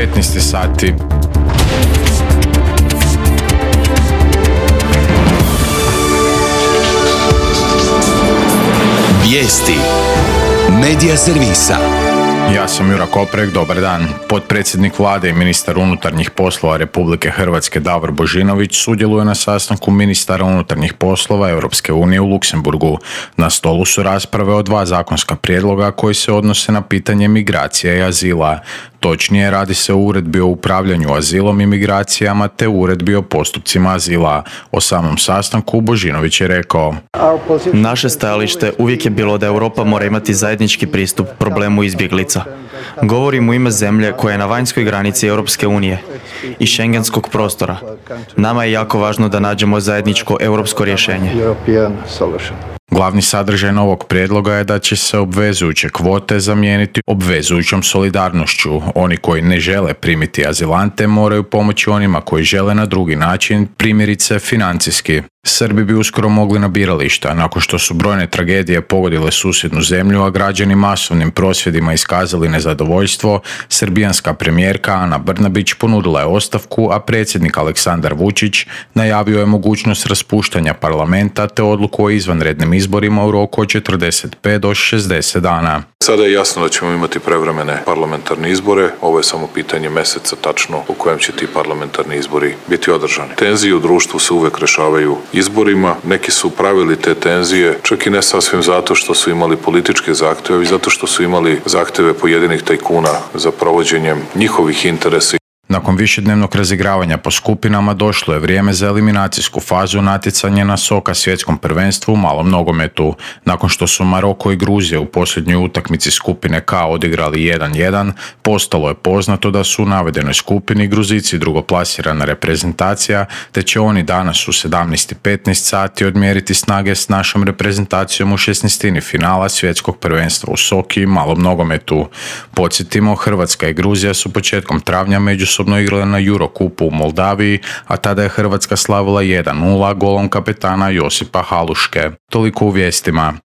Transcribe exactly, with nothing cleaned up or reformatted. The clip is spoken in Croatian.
petnaest sati. Vijesti Medija servisa. Ja sam Jura Koprek, dobar dan. Potpredsjednik vlade i ministar unutarnjih poslova Republike Hrvatske Davor Božinović sudjeluje na sastanku ministara unutarnjih poslova Europske unije u Luksemburgu. Na stolu su rasprave o dva zakonska prijedloga koji se odnose na pitanje migracija i azila. Točnije, radi se o uredbi o upravljanju azilom i migracijama te uredbi o postupcima azila. O samom sastanku Božinović je rekao: Naše stajalište uvijek je bilo da Europa mora imati zajednički pristup problemu izbjeglica. Govorim u ime zemlje koja je na vanjskoj granici Europske unije i šengenskog prostora. Nama je jako važno da nađemo zajedničko europsko rješenje. Glavni sadržaj novog prijedloga je da će se obvezujuće kvote zamijeniti obvezujućom solidarnošću. Oni koji ne žele primiti azilante moraju pomoći onima koji žele na drugi način, primjerice financijski. Srbi bi uskoro mogli na birališta, nakon što su brojne tragedije pogodile susjednu zemlju, a građani masovnim prosvjedima iskazali nezadovoljstvo. Srbijanska premijerka Ana Brnabić ponudila je ostavku, a predsjednik Aleksandar Vučić najavio je mogućnost raspuštanja parlamenta te odluku o izvanrednim izborima u roku od četrdeset pet do šezdeset dana. Sada je jasno da ćemo imati prevremene parlamentarne izbore. Ovo je samo pitanje mjeseca tačno u kojem će ti parlamentarni izbori biti održani. Tenzije u društvu se uvek rešavaju izborima. Neki su pravili te tenzije, čak i ne sasvim zato što su imali političke zahtjeve, već zato što su imali zahtjeve pojedinih tajkuna za provođenjem njihovih interesa. Nakon višednevnog razigravanja po skupinama došlo je vrijeme za eliminacijsku fazu natjecanja na Soka svjetskom prvenstvu u malom nogometu. Nakon što su Maroko i Gruzija u posljednjoj utakmici skupine K odigrali jedan jedan, postalo je poznato da su u navedenoj skupini Gruzici drugoplasirana reprezentacija, te će oni danas u sedamnaest i petnaest sati odmjeriti snage s našom reprezentacijom u šesnaestini finala svjetskog prvenstva u Soki i malom nogometu. Podsjetimo, Hrvatska i Gruzija su početkom travnja međusobno igrale na Eurocupu u Moldaviji, a tada je Hrvatska slavila jedan nula golom kapetana Josipa Haluške. Toliko u vijestima.